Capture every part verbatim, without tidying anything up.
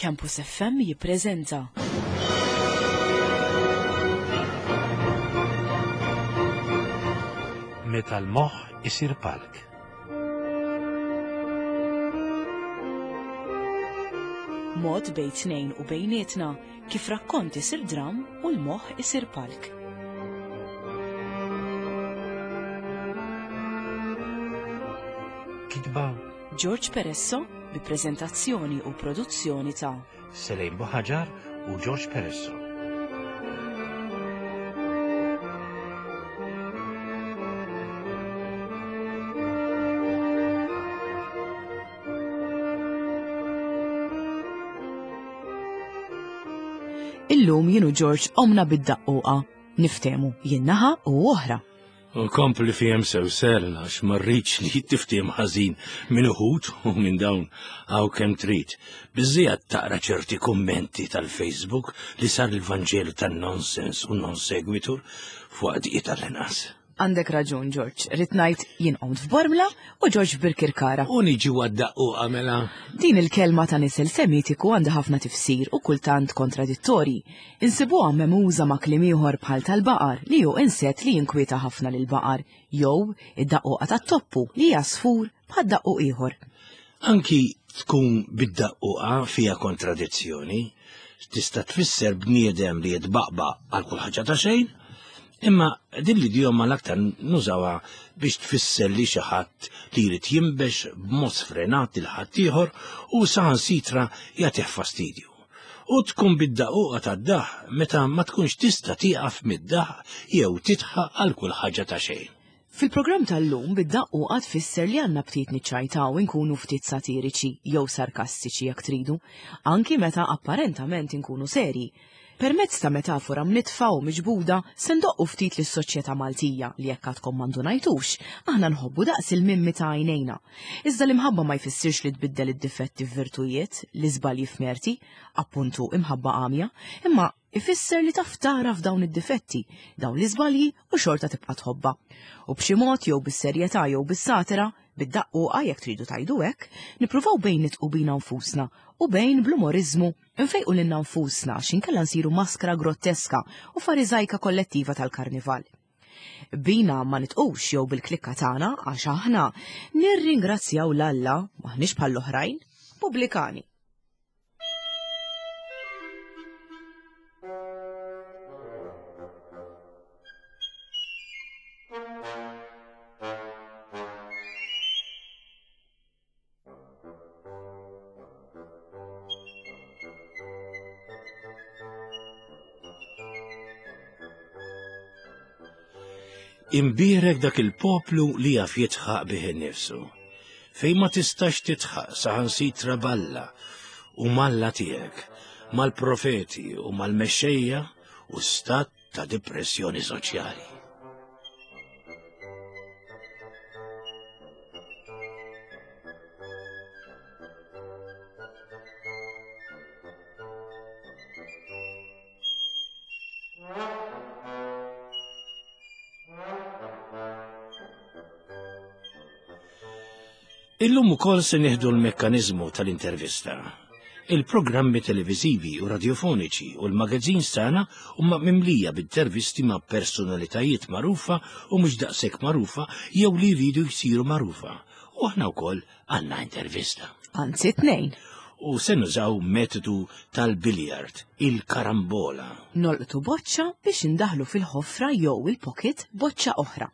Campus F M jippreżenta Meta l-moħħ isir palk. Mod bejn tnejn u bejnietna kif rakkont isir dram u l-moħħ isir palk. Kitba George Peresso bi preżentazzjoni u produzzjoni ta' Selejn Buħaġar u George Peresso. Illum jien u George omna bid-daqquqa, niftehmu jien naħa u oħra. U kompli fihem sew sel għax ma rridx li tiftiem ħażin minn uħud u minn dawn hawn kemm trid. Biżżejjed taqra ċerti kummenti tal-Facebook li sar il-Vanġelu tan-nonsens u non segwitur fuq diqiet tal-inqas. Għandek raġun, George. Rrid ngħid jien qomt f'Bormla u George f'Birkirkara. U niġi għad-daqquqa mela. Din il-kelma ta' nisel semitiku għandha ħafna tifsir u kultant kontradittorji. Insibuha memuża ma' kliem ieħor bħal tal-baqar li hu insett li jinkwieta ħafna lil baqar, jew id-daqquqa tat-toppu li hija sfur bħad daqquq ieħor. Anki tkun bid-daqquqa fiha kontradizzjoni, tista' tfisser bniedem li jitbaqbaq għal kull ħaġa ta' xejn, imma din l-idjoma l-aktar nużawha biex tfisser li xi ħadd li jrid jinbex b'mod sfrenat lil ħaddieħor u saħansitra jagħtih fastidju. U tkun bid-daqquqa tad-daħ meta ma tkunx tista' tieqaf mid-daħ jew titħaq għal kull ħaġa ta' xejn. Fil-programm tal-lum bid-daqquqa tfisser li għandna ftit niċċajtaw inkunu ftit satiriċi jew sarkastiċi jekk tridu, anki meta apparentament inkunu serji. Permezz ta' metafora mnitfa u miġbuda se ndoqqu ftit lis-soċjetà Maltija li jekk għadkom ma ndunajtux, aħna nħobbu daqs il-mimmi ta' għajnejna. Iżda l-imħabba ma jfissirx li tbiddel id-difetti f'virtujiet, l-iżbalji f'merti, appuntu imħabba għamja, imma ifisser li taf tara f'dawn id-difetti, dawn l-iżbalji u xorta tibqa' tħobba. U b'xi mod jew bis-serjetà jew bis-satira, bid-daqquqa jekk tridu tgħidu hekk, nippruvaw bejn nitqu bina nfusna u bejn bl-umoriżmu nfejqu lilna nfusna għax inkella nsiru maskra grotteska u fariżajka kollettiva tal-karnival. Bina ma nitqux jew bil-klikka tagħna għax aħna nirringrazzjaw l-Alla maħniex bħall-oħrajn pubblikani. Imbierek dak il-poplu li jaf jitħaq bih innifsu, fejn ma tistax titħaq saħansitra balla u malla tiegħek, mal-profeti u mal-mexxejja u stat ta' depressjoni soċjali. Illum ukoll se nieħdu l-mekkaniżmu tal-intervista. Il-programmi televiżivi u radiofoniċi u l-magazines tagħna huma mimlija b'intervisti ma' personalitajiet magħrufa u mhux daqshekk magħrufa jew li jridu jsiru magħrufa. U aħna wkoll għandna intervista. Anzi tnejn. U se nużaw metodu tal-biljard, il-karambola. Nolqtu boċċa biex indaħlu fil-ħofra jew il-pocket boċċa oħra.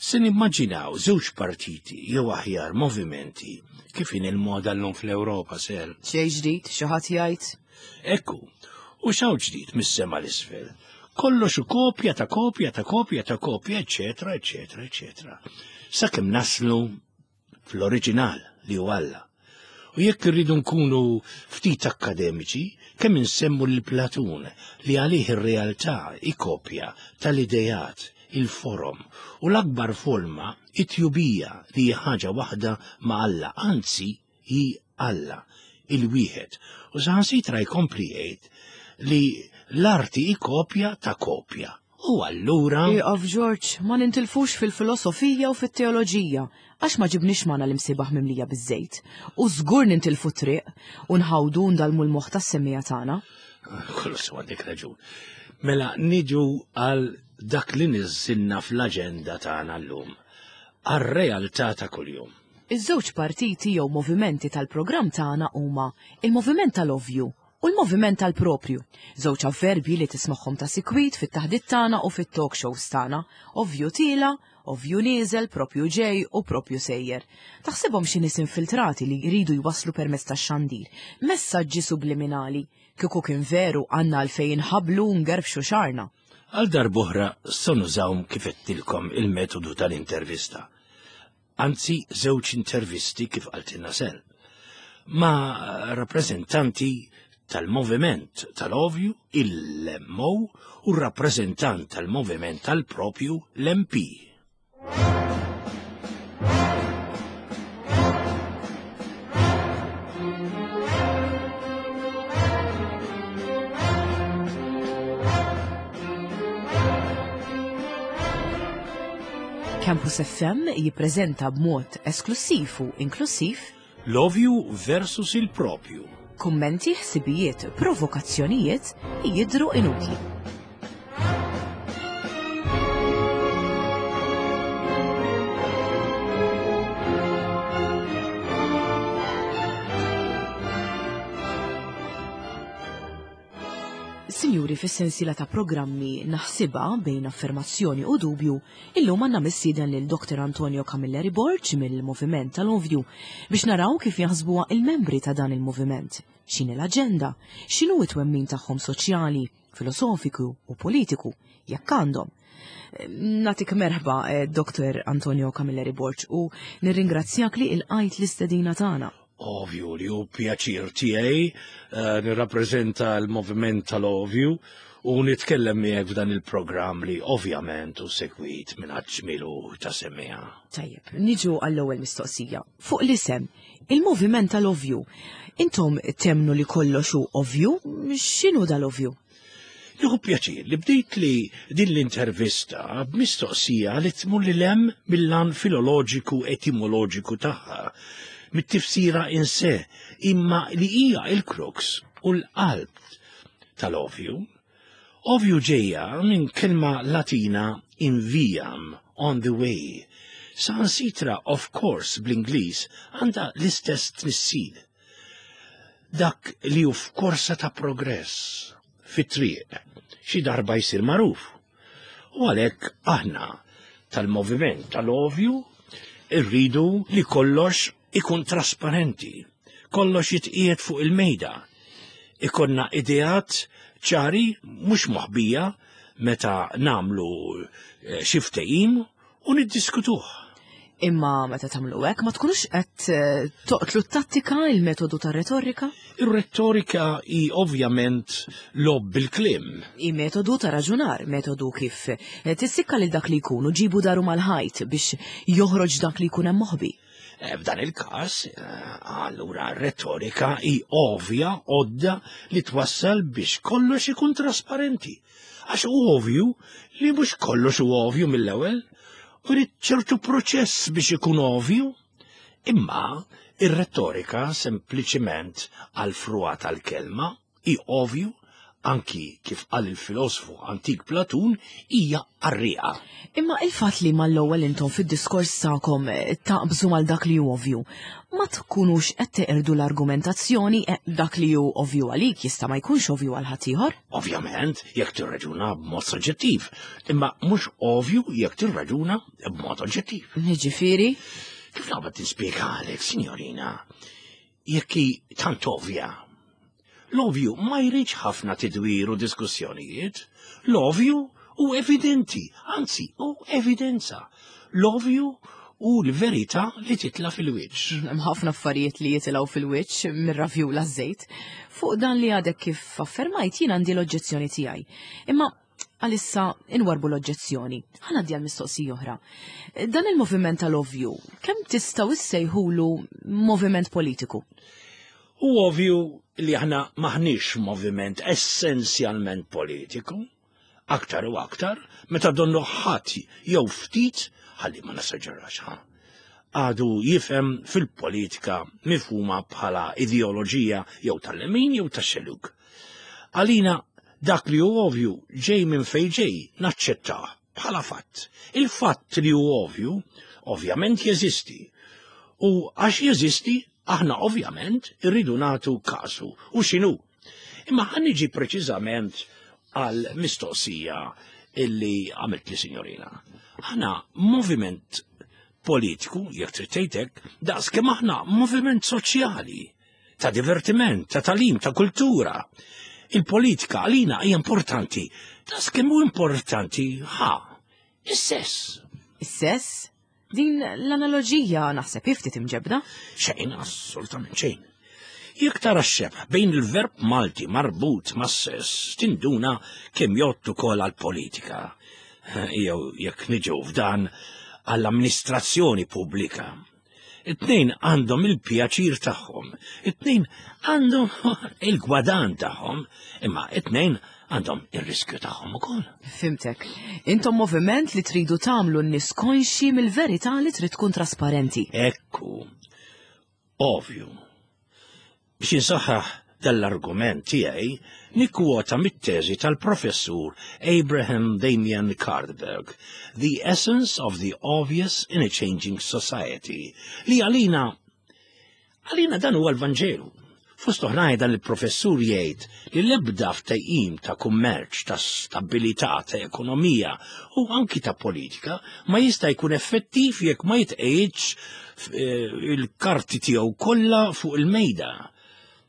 Se nimmaġinaw żewġ partiti jew aħjar movimenti kif in il-moda llum fl-Ewropa sel. Xejn ġdid, xi ħadd jgħid? Ekku, u x'hawn ġdid mis-sema l-isfel. Kollox u kopja ta' kopja ta' kopja ta' kopja, eċetera, eċetera, eċetera. Sakemm naslu fl-oriġinal li hu Alla. U jekk irridu nkunu ftit akademiċi, kemm insemmu lil Platun li għalih ir-realtà hi kopja tal-idejat, il-forom u l-akbar forma it-tjubija li hi ħaġa waħda ma' Alla, anzi hi Alla, il-wieħed. U saħansitra jkompli jgħid li l-arti hi kopja ta' kopja U allura. Ieqaf Ġorġ, ma nintilfux fil-filosofija u fit-teoloġija, għax ma ġibniex magħna l-imsiebaħ mimlija biż-żejt. U żgur nintilfu triq u nħawdu ndalmu l-moħħ tas-semmiegħa tagħna. Kollu sew għandek raġun. Mela niġu għal dak li niżżilna fl-aġenda tagħna llum, għar-realtà ta' kuljum. Iż-żewġ partiti jew movimenti tal-programm tagħna huma il-moviment tal-ovvju u l-moviment tal-propju. Żewġ avverbi li tismagħhom ta' sikwit fit-taħdit tagħna u fit-talk shows tagħna. Ovvju tiela, ovvju nieżel, propju ġej u propju sejjer. Taħsibhom xi nies infiltrati li jridu jwasslu permezz tax-xandir. Messaġġi subliminali. Kieku kien veru għandna għalfejn inħabblu u ngerbxu xagħarna. Għal darb'oħra se nużaw kif għedtilkom il-metodu tal-intervista. Anzi, żewġ intervisti kif qaltilna Sel. Ma' rappreżentanti tal-moviment tal-ovju, il-M O, u rappreżentant tal-moviment tal-propju, l-M P. Campus F M jippreżenta b'mod esklusiv u inklusiv L-ovju versus il-propju. Kummenti, ħsibijiet, provokazzjonijiet jidhru inutli. Sinjuri, fis-sensiela ta' programmi Naħsibha bejn affermazzjoni u dubju, illum għandna mistieden lil Doktor Antonio Camilleri Borg mill-Moviment tal-Ovju biex naraw kif jaħsbuha il-membri ta' dan il-moviment. X'inhi l-aġenda, x'inhu it-twemmin tagħhom soċjali, filosofiku u politiku, jekk għandhom. Nagħtik merħba, eh, Doktor Antonio Camilleri Borg, u nirringrazzjak li lqajt l-istedina tagħna. Ovvju li hu pjaċir tiegħi eh, nirrappreżenta l-moviment tal-ovju u nitkellem miegħek f'dan il-programm li ovvjament hu segwit minn ġmielu ta' semmiegħa. Tajjeb, niġu għall-ewwel mistoqsija. Fuq l-isem, il-moviment tal-ovju, intom temmnu li kollox hu ovvju? X'inhu dal-ovju? Nieħu pjaċir li bdejt li din l-intervista b'mistoqsija li tmur lil hemm mill-lan filoloġiku etimoloġiku tagħha, mit-tifsira in se, imma li hija il-crux u l-qalb tal-ovju. Ovju ġejja minn kelma Latina in viam, on the way. Saħansitra of course bl-Ingliż għandha l-istess tnissil. Dak li hu f'korsa ta' progress, fit-triq, xi darba jsir magħruf. U għalhekk aħna tal-moviment tal-ovju irridu li kollox ikun trasparenti, kollox jitqiegħed fuq il-mejda. Ikollna ideat ċari mhux moħbija meta nagħmlu eh, xi ftehim u niddiskutuh. Imma meta tagħmlu hekk ma tkunux qed eh, toqtlu t-tattika, il-metodu tar-retorika? Ir-retorika hi ovvjament logħob bil-kliem. Hi metodu ta' raġunar, metodu kif eh, tissikka lil dak li jkunu ġibu daru mal-ħajt biex joħroġ dak li jkun hemm moħbi. Eh, f'dan il-każ, allura r-retorika hi ovvja għodda li twassal biex kollox ikun trasparenti. Għax hu ovvju li mhux kollox hu ovvju mill-ewwel, u jrid ċertu proċess biex ikun ovvju. Imma ir-retorika sempliċiment għal frugħa tal-kelma hi ovvju anki kif qal il-filosofu antik Platun hija qarrieqa. Imma il-fatt li mal-ewwel intom fid-diskors tagħkom eh, taqbżu mal dak li hu ovvju, ma tkunux qed teqirdu l-argumentazzjoni eh, dak li hu ovvju għalik jista' ma jkunx ovvju għal ħaddieħor? Ovvjament, jekk tirraġuna b'mod soġġettiv, imma mhux ovvju jekk tirraġuna b'mod oġġettiv. Jiġifieri? Kif naqbad nispjegalek, signorina, jekk hi tant ovvja? L-ovju ma jridx ħafna tidwir u diskussjonijiet. L-ovju hu evidenti, anzi, hu evidenza. L-ovju hu l-verità li titla' fil-wiċċ. Hemm ħafna affarijiet li jitilgħu fil-wiċċ mir-ravjula żejt. Fuq dan li għadek kif affermajt jien għandi l-oġġezzjoni tiegħi. Imma għalissa inwarbu l-oġġezzjoni. Ħa ngħaddi għal mistoqsija oħra. Dan il-moviment tal-ovju, kemm tistgħu issejħulu moviment politiku? Hu ovvju li aħna maħniex moviment essenzjalment politiku. Aktar u aktar, meta donnu ħadd jew ftit, ħalli ma nesaġerax ħa, għadu jifhem fil-politika mifhuma bħala ideoloġija jew tal-lemin jew tax-xellug. Għalina dak li hu ovvju ġej minn fejn ġej naċċettah bħala fatt. Il-fatt li hu ovvju ovvjament jeżisti. U għax jeżisti, aħna ovvjament irridu nagħtu kasu u x'inhu. Imma ħa niġi preċiżament għal mistoqsija illi għamilt li signorina. Aħna moviment politiku, jekk trid tgħidlek, daqs kemm aħna moviment soċjali, ta' divertiment, ta' tagħlim, ta' kultura. Il-politika għalina hija importanti, daqs kemm hu importanti ħa, is-sess. Is-sess? Din l-analoġija naħseb ftit imġebbda? Xejn, assolutament xejn. Jekk tara x-xebh bejn il-verb Malti marbut mas-sess, tinduna kemm jgħoddu ukoll għall-politika. Jew jekk niġu f'dan għall-amministrazzjoni pubblika. It-tnejn għandhom il-pjaċir tagħhom, it-tnejn għandhom il-gwadan tagħhom, imma it-tnejn għandhom ir-riskju tagħhom ukoll. Fhimtek. Intom moviment li tridu tagħmlu n-nies konxji mill-verità li trid tkun trasparenti. Ekku, ovvju. Biex insaħħaħ dal-argument tiegħi nikkwota mit-teżi tal-professur Abraham Damian Kardberg, The Essence of the Obvious in a Changing Society, li għalina għalina dan huwa l-Vanġelu. Fost oħrajn dan il-professur jgħid li l-ebda ftehim ta' kummerċ, ta' stabilità, ta' ekonomija u anki ta' politika ma jista' jkun effettiv jekk ma jitqegħidx eh, il-karti tiegħu kollha fuq il-mejda.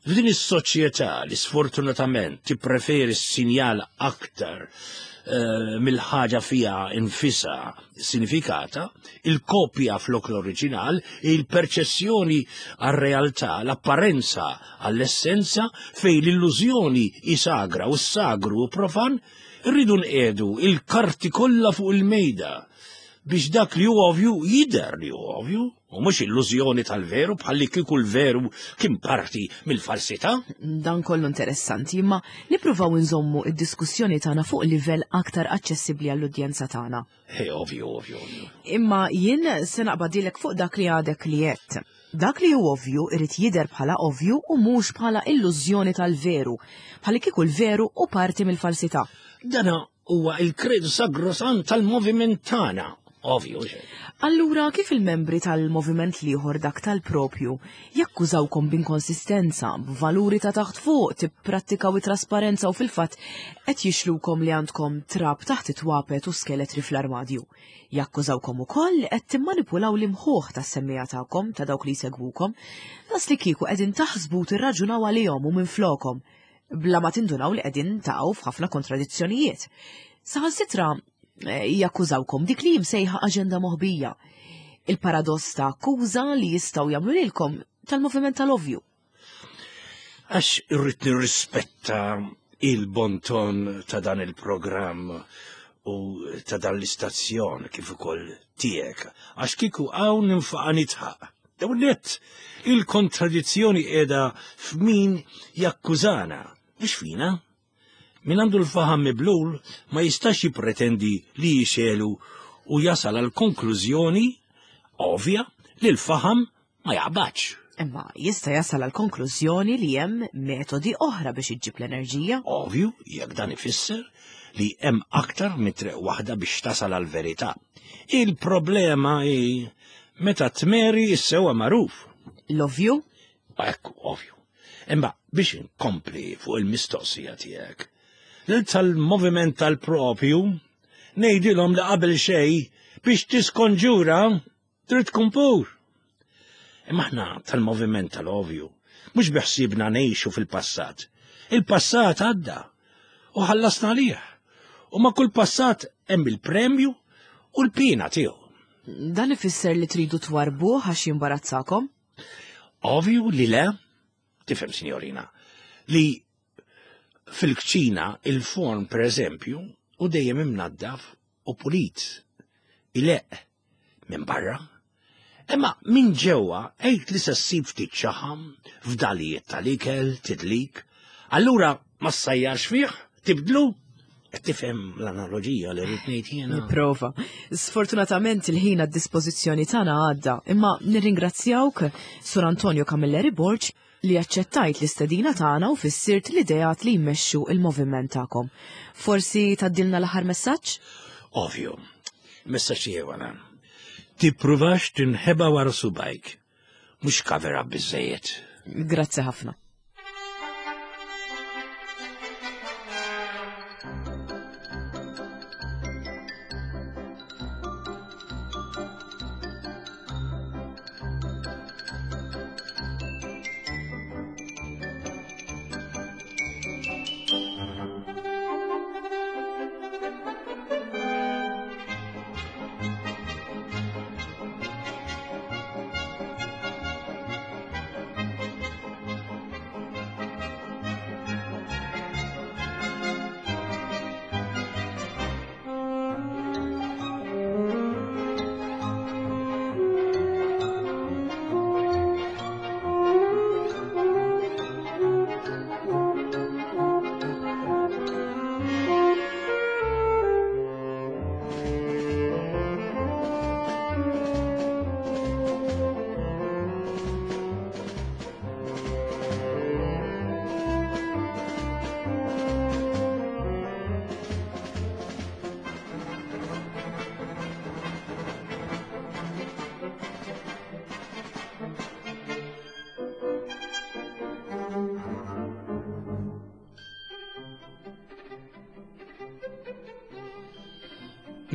F'din is-soċjetà li sfortunatament tippreferi s-sinjal aktar eh, mill-ħaġa fiha nfisha sinifikata, il-kopja flok l-oriġinal, il-perċezzjoni għar-realtà, l-apparenza għall-essenza, fej l-illużjoni hi sagra u s-sagru hu profan, irridu nqiegħdu il-karti kollha fuq il-mejda biex dak li hu ovvju jidher li hu ovvju, u mhux illużjoni tal-veru bħalli kieku l-veru kien parti mill-falsità. Dan kollu interessanti, imma nippruvaw nżommu id-diskussjoni tagħna fuq livell aktar aċċessibbli għall-udjenza tagħna. He, ovvju, ovvju, ovvju. Imma jien se naqbadilek fuq dak li għadek li għedt. Dak li hu ovvju irid jidher bħala ovvju u mhux bħala illużjoni tal-veru, bħalli kieku l-veru hu parti mill-falsità. Dana huwa il-kredu sagrosant tal-moviment tagħna. Ovvju, xe. Allura kif il-membri tal-moviment l-ieħor dak tal-propju jakkużawkom b'inkonsistenza, b'valuri ta' taħt fuq, tipprattikaw it-trasparenza u fil-fatt qed jixlukom li għandkom trab taħt it-twapet u skeletri fl-armadju. Jakkużawkom ukoll li qed timmanipulaw l-imħuħ tas-semmiegħa tagħkom ta' dawk li jsegwukom, daqs li kieku qegħdin taħsbu tirraġunaw għalihom u minflokom, bla ma tindunaw li qegħdin taqgħu f'ħafna kontradizzjonijiet. Saħansitra eh, jakkużawkom dik li jimsejħa aġenda moħbija. Il-paradoss ta' akkuża li jistgħu jagħmlu lilkom tal-moviment tal-ovvju. Għax irrid nirrispetta il-bonton ta' dan il-programm u ta' dan l-istazzjon kif ukoll tiegħek, għax kieku hawn ninfaqa' nidħaq. Dawn net, il-kontradizzjoni qiegħda f'min jakkużana, mhux fina. Min għandu l-faħam miblul ma jistax jippretendi li jixelu u jasal għal konklużjoni ovvja li l-faħam ma jaqbadx. Imma jista' jasal għal konklużjoni li hemm metodi oħra biex iġġib l-enerġija. Ovvju, jekk dan ifisser li hemm aktar minn triq waħda biex tasal għal verità. Il-problema hi meta tmeri s-sewwa magħruf. L-ovvju? Ekku, ovvju. Imma biex inkompli fuq il-mistoqsija tiegħek. Lil tal-moviment tal-propju ngħidilhom li qabel xejn biex tiskonġura trid tkun pur. Imma aħna tal-moviment tal-ovvju, mhux biħsibna ngħixu fil-passat. Il-passat għadda u ħallasna għalih. U ma' kull passat hemm il-premju u l-pina tiegħu. Dan ifisser li tridu twarbuh għax jimbarazzakom? Ovvju li le, tifhem signorina, li fil-kċina il-forn per eżempju u dejjem imnaddaf u pulit, ileqq minn barra. Imma minn ġewwa għid li se ssib ftit xaħam, fdalijiet tal-ikel, tidlik, allura ma ssajjarx fih, tibdlu, Qed tifhem l-analoġija li rrid ngħid jiena? Nipprova. Sfortunatament il-ħin għad-dispożizzjoni tagħna għadda, imma nirringrazzjawk Sur Antonio Camilleri Borg li aċċettajt l-istedina tagħna u fissirt l-ideat li jmexxu il-moviment tagħkom. Forsi tgħaddilna l-aħħar messaġġ? Ovvju. Messaġġ tiegħu għana. Tippruvax tinħeba wara subajk. Mhux cover up biżejjed. Grazzi ħafna.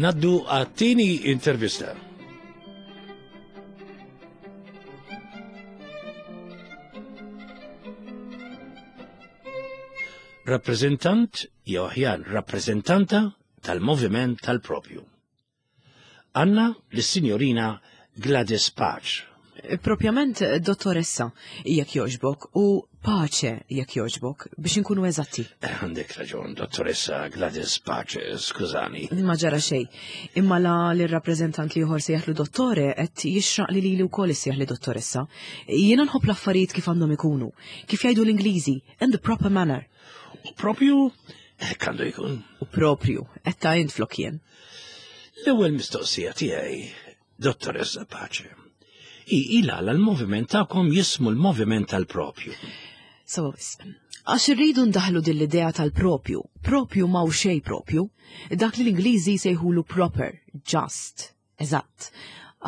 Ngħaddu għat-tieni intervista. Rappreżentant jew aħjar rappreżentanta tal-Moviment tal-Propju. Għandna lis-Sinjorina Gladys Pace. Propjament dottoressa, jekk jogħġbok, u Pace jekk jogħġbok, biex inkunu eżatti. Għandek raġun, dottoressa Gladys Pace, skużani. Ma ġara xejn. Imma la l-rappreżentant li ieħor sejjaħlu dottore qed jixraq li lili wkoll issejjaħli dottoressa. Jiena nħobb l-affarijiet kif għandhom ikunu, kif jgħidu l-Ingliżi, in the proper manner. U propju, hekk għandu jkun. U propju, qed ta' int flok jien. L-ewwel mistoqsija tiegħi, dottoressa Pace. I ila l-moviment tagħkom jismu l-moviment tal-propju. So, għax irridu ndaħlu din l-idea tal-propju, propju ma hu xejn propju, dak li l-Ingliżi jsejħulu proper, just, eżatt.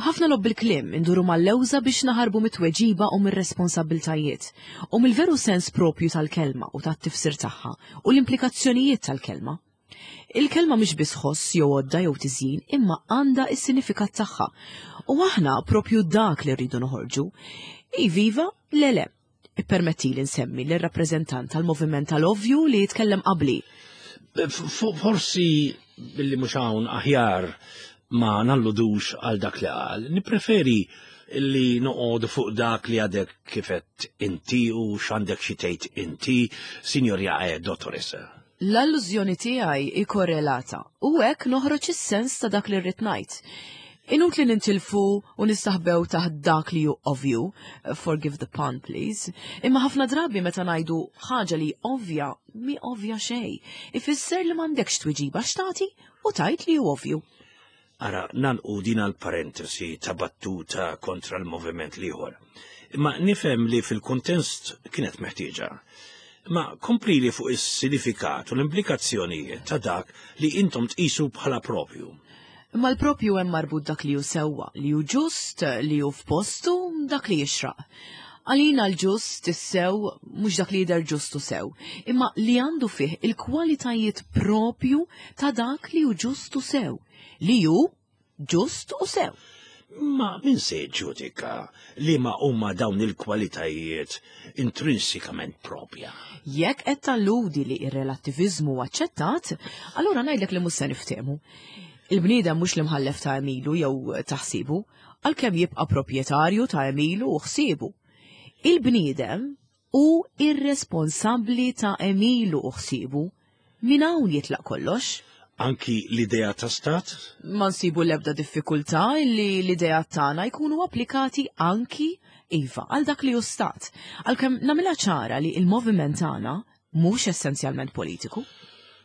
Ħafna logħob bil-kliem induru mal-lewża biex naħarbu mit-tweġiba u mir-responsabiltajiet, u mill-veru sens propju tal-kelma u tat-tifsir tagħha u l-implikazzjonijiet tal-kelma. Il-kelma mhix biss ħoss jew għodda jew tiżjin, imma għandha s-sinifikat tagħha. U aħna propju dak li rridu noħorġu. Iviva, le le. Ippermetti li nsemmi l-rappreżentant tal-moviment tal-ovvju li jitkellem qabli. Forsi billi mhux hawn aħjar ma nalludux għal dak li qal, nippreferi li noqogħdu fuq dak li għadek kifet inti u x'għandek xi tgħid inti, Sinjorja e dottoressa. L-allużjoni tiegħi hi korrelata u hekk noħroġ is-sens ta' dak li rrid ngħid. Inutli nintilfu u nistaħbew taħt dak li hu ovvju, forgive the pun please, imma ħafna drabi meta ngħidu ħaġa li ovvja mi ovvja xejn, ifisser li m'għandekx tweġiba x'tagħti u tgħid li hu ovvju. Ara, nagħlqu din għal-parentesi ta' battuta kontra l-moviment l-ieħor. Imma nifhem li fil-kuntest kienet meħtieġa. Ma kompli li fuq is-sinifikat u l-implikazzjonijiet ta' dak li intom tqisu bħala propju. Ma l-propju hemm marbut dak li hu sewwa, li hu ġust, li hu f'postu, dak li jixraq. Għalina l-ġust is-sew mhux dak li jidher ġustu sew, imma li għandu fih il-kwalitajiet propju ta' dak li hu ġustu sew, li hu ġust u sew. Ma min se ġudika li ma huma dawn il-kwalitajiet intrinsikament propja? Jekk qed talludi li ir-relattiviżmu aċċettat, allura ngħidlek li mhux se niftehmu. Il-bniedem mhux l-imħallef ta' għemilu jew taħsibu, għalkemm jibqa' proprjetarju ta' għemilu u ħsiebu. Il-bniedem hu irresponsabbli ta' għemilu u ħsiebu. Min hawn jitlaq kollox? Anki l-idea ta' stat? Ma nsibu l-ebda diffikultà li l-idea tagħna jkunu applikati anki iva għal dak li hu stat. Għalkemm nagħmilha ċara li l-moviment tagħna mhux essenzjalment politiku.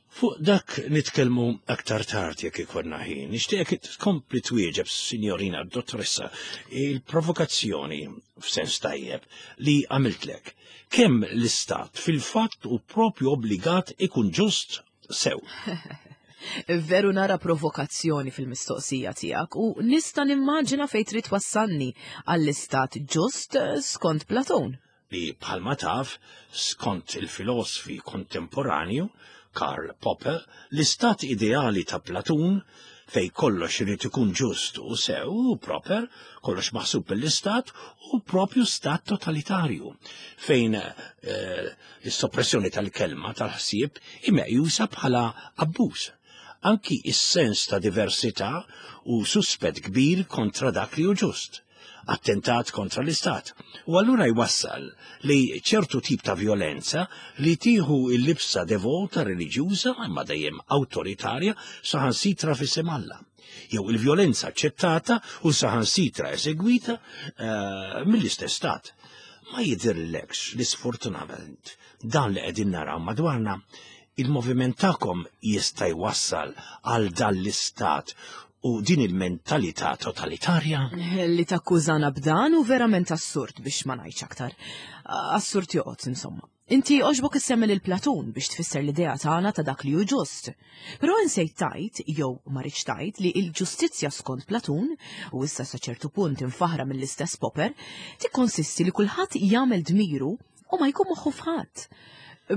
Fuq dak nitkellmu aktar tard jekk ikollna ħin. Nixtieqek tkompli twieġeb, Sinjorina Dottoressa, il-provokazzjoni f'sens tajjeb li għamiltlek. Kemm l-istat fil-fatt hu propju obbligat ikun ġust sew? Veru nara provokazzjoni fil-mistoqsija tiegħek u nista' nimmaġina fejn trid twassalni għall-istat ġust skont Platon. Li bħalma taf, skont il-filosofi kontemporanju, Karl Popper, l-istat ideali ta' Platun, fej kollox irid ikun ġust u sew u proper, kollox maħsub mill-istat u propju stat totalitarju, fejn eh, is-soppressjoni tal-kelma tal-ħsieb meqjusa bħala abbuż. Anki is-sens ta' diversità u suspett kbir kontra dak li hu ġust attentat kontra l-istat. U allura jwassal li ċertu tip ta' violenza li tieħu il-libsa devota reliġjuża imma dejjem awtoritarja saħansitra f'isem Alla. Jew il-violenza aċċettata u saħansitra esegwita uh, mill-istess stat. Ma jidhirlekx li sfortunatament dan li qegħdin naraw madwarna il-moviment tagħkom jista' jwassal għal dan l-istat u din il-mentalità totalitarja? Li takkużana b'dan hu verament assurd biex ma ngħidx aktar. Assurd joqgħod insomma. Inti għoġbok issemmi lil Platun biex tfisser l-idea tagħna ta' dak li hu ġust. Però insejt tgħid, jew ma ridtx tgħid li l-ġustizzja skont Platun, u issa sa ċertu punt imfaħra mill-istess Popper, tikkonsisti li kulħadd jagħmel dmiru u ma jkun moħħu f'ħadd.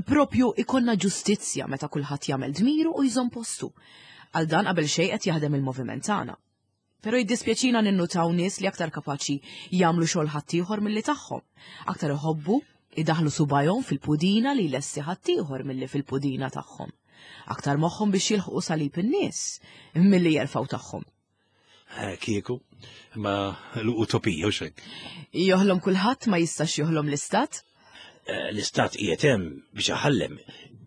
Propju ikollna ġustizzja meta kulħadd jagħmel dmiru u jżomm postu. Għal dan qabel xejn qed jaħdem il-moviment tagħna. Però jiddispjaċina ninnutaw nies li aktar kapaċi jagħmlu xogħol ħaddieħor milli tagħhom. Aktar iħobbu idaħlu subajhom fil-pudina li lesti ħaddieħor milli fil-pudina tagħhom. Aktar moħħhom biex jilħqu salib in-nies milli jerfgħu tagħhom. Eh, Kieku, ma l-utopija u xek. Joħlom kulħadd ma jistax joħlom l-istat? Eh, L-istat qiegħed hemm biex iħallem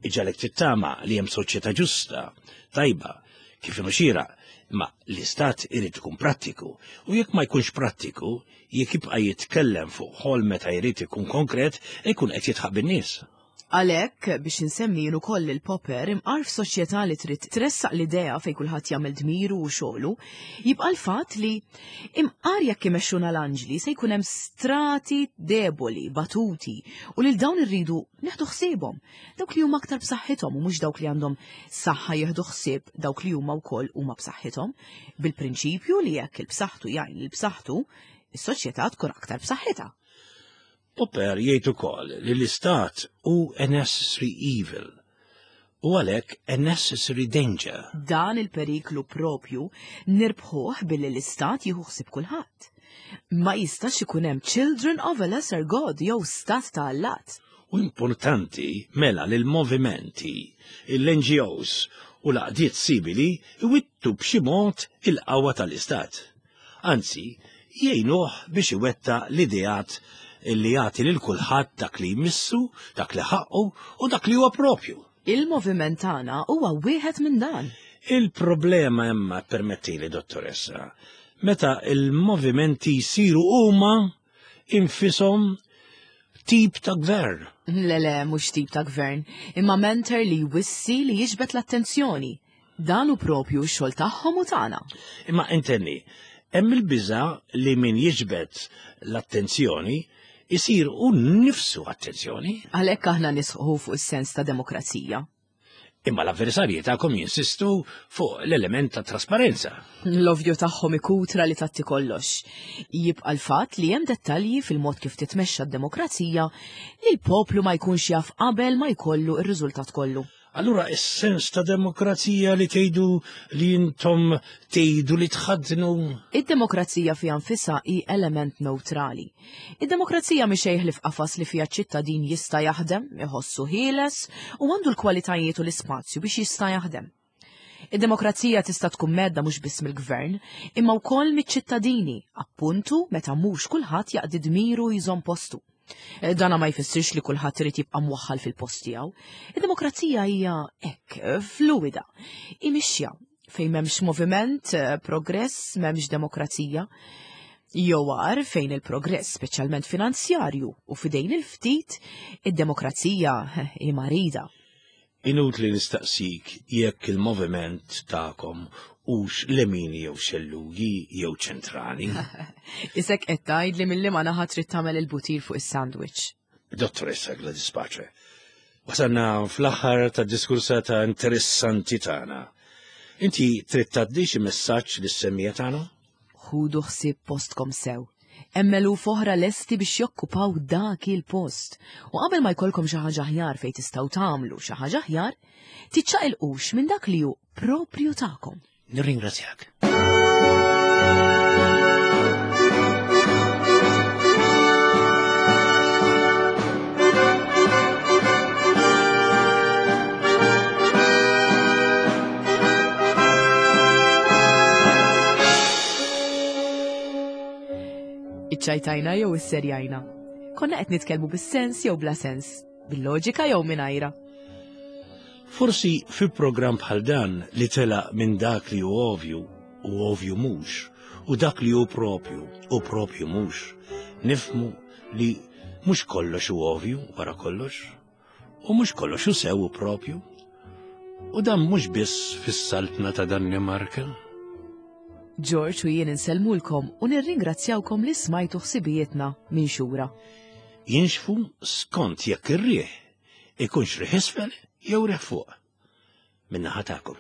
iġagħlek tittama li hemm soċjetà ġusta, tajba, kif inhu xieraq, imma l-istat irid ikun prattiku. U jekk ma jkunx prattiku, jekk jibqa' jitkellem fuq ħolm meta jrid ikun konkret, ikun qed jidħaq bin-nies. Għalhekk biex insemmi jien ukoll il-Popper imqar f'soċjetà li trid tressaq l-idea fejn kulħadd jagħmel dmiru u xogħlu, jibqa' l-fatt li imqar jekk imexxuna l-anġli se jkun hemm strati deboli, batuti, u lil dawn irridu neħdu ħsiebhom. Dawk li huma aktar b'saħħithom u mhux dawk li għandhom saħħa jieħdu ħsieb dawk li huma wkoll huma b'saħħithom, bil-prinċipju li jekk il-b'saħħtu jgħin lil b'saħħtu, is-soċjetà tkun aktar b'saħħitha. Popper jgħid ukoll li l-istat hu a necessary evil u għalhekk a necessary danger. Dan il-periklu propju nirbħuh billi l-istat jieħu ħsieb kulħadd. Ma jistax ikun hemm children of a lesser god jew stat ta' allat. U importanti mela li l-movimenti, l-N G Os u l-għaqdiet simili iwittu b'xi mod il-qawwa tal-istat. Anzi, jgħinuh biex iwettaq l-ideat illi jagħti lil kulħadd dak li jmissu, dak li ħaqqu u dak li huwa propju. Il-moviment tagħna huwa wieħed minn dan. Il-problema imma, permettili, dottoressa, meta il-movimenti jsiru huma infisom tip ta' gvern. Le le, mhux tip ta' gvern, imma mentor li jwissi li jiġbed l-attenzjoni. Dan hu propju x-xogħol tagħhom u tagħna. Imma intenni, hemm il-biża li min jiġbed l-attenzjoni isir hu nnifsu attenzjoni. Għalhekk aħna nisħu fuq is-sens ta' demokrazija. Imma l-avversarji tagħkom jinsistu fuq l-element ta' trasparenza. L-ovvju tagħhom ikutra li tatti kollox. Jibqa' l-fatt li hemm dettalji fil-mod kif titmexxa d-demokrazija li l-poplu ma jkunx jaf qabel ma jkollu ir-riżultat kollu. Allura is-sens ta' demokrazija li tgħidu li intom tgħidu li tħaddnu. Id-demokrazija fiha nfisha hi element neutrali. Id-demokrazija mhi xejn ħlief qafas li fiha ċittadin jista' jaħdem, iħossu ħieles u għandu l-kwalitajiet u l-ispazju biex jista' jaħdem. Id-demokrazija tista' tkun mhedda mhux biss mill-gvern, imma wkoll miċ-ċittadini, appuntu meta mhux kulħadd jaqdi dmiru jżomm postu. Eh, Dana ma jfissirx li kulħadd irid jibqa' mwaħħal fil-post tiegħu. Id-demokrazija hija hekk, fluida, imixja fejn m'hemmx moviment, eh, progress, m'hemmx demokrazija. Jew agħar fejn il-progress, speċjalment finanzjarju, u fidejn il-ftit, id-demokrazija eh, hi marida. Inutli nistaqsik jekk il-moviment tagħkom hux lemini jew xellugi jew ċentrali. Isek qed tgħid li milli ma naħa trid tagħmel il-butir fuq is-sandwich. Dottoressa Gladys Pace, wasalna fl-aħħar ta' diskursata interessanti tagħna. Inti trid tgħaddi xi messaġġ lis-semmiegħa tagħna? Ħudu ħsieb postkom sew. Hemm eluf oħra lesti biex jokkupaw dak il-post. U qabel ma jkollkom xi ħaġa aħjar fejn tistgħu tagħmlu xi ħaġa aħjar, tiċċaqilqux minn dak li hu propju tagħkom. Nirringrazzjak. Iċċajtajna jew isserjajna. Konna qed nitkellmu bis-sens jew bla sens, bil-loġika jew mingħajra. Forsi fi programm bħal dan li telaq minn dak li hu ovvju u ovvju mhux, u dak li hu propju u propju mhux, nifhmu li mhux kollox hu ovvju wara kollox, u mhux kollox hu sew u propju. U dan mhux biss fis-saltna ta' Danimarka. George u jien insellmulkom u nirringrazzjawkom li smajtu ħsibijietna minn xura. Jinxfu skont jekk ir-riħ ikunx riħ isfel jew riħ fuq. Min-naħa tagħkom.